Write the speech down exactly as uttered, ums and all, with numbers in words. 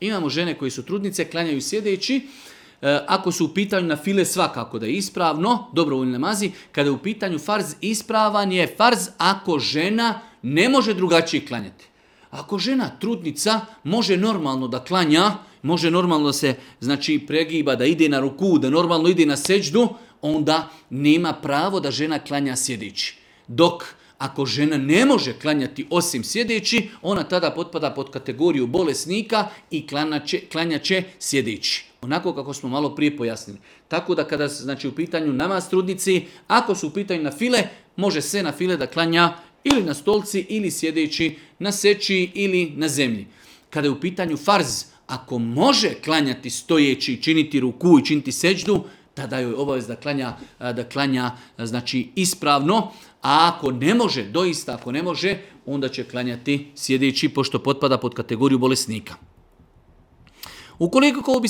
Imamo žene koje su trudnice, klanjaju sjedeći. Ako su u pitanju na file, svakako da je ispravno, dobrovoljni namazi. Kada je u pitanju farz, ispravan je farz ako žena ne može drugačije klanjati. Ako žena trudnica može normalno da klanja, može normalno da se znači pregiba, da ide na ruku, da normalno ide na seđdu, onda nema pravo da žena klanja sjedeći. Dok ako žena ne može klanjati osim sjedeći, ona tada potpada pod kategoriju bolesnika i klanja će sjedeći. Onako kako smo malo prije pojasnili. Tako da kada znači u pitanju namaz trudnici, ako su u pitanju na file, može se na file da klanja ili na stolci ili sjedeći na seći ili na zemlji. Kada je u pitanju farz, ako može klanjati stojeći, činiti ruku i činiti seđdu, tada joj obavez da klanja, da klanja znači ispravno, a ako ne može, doista ako ne može, onda će klanjati sjedeći pošto potpada pod kategoriju bolesnika. Ukoliko ko bi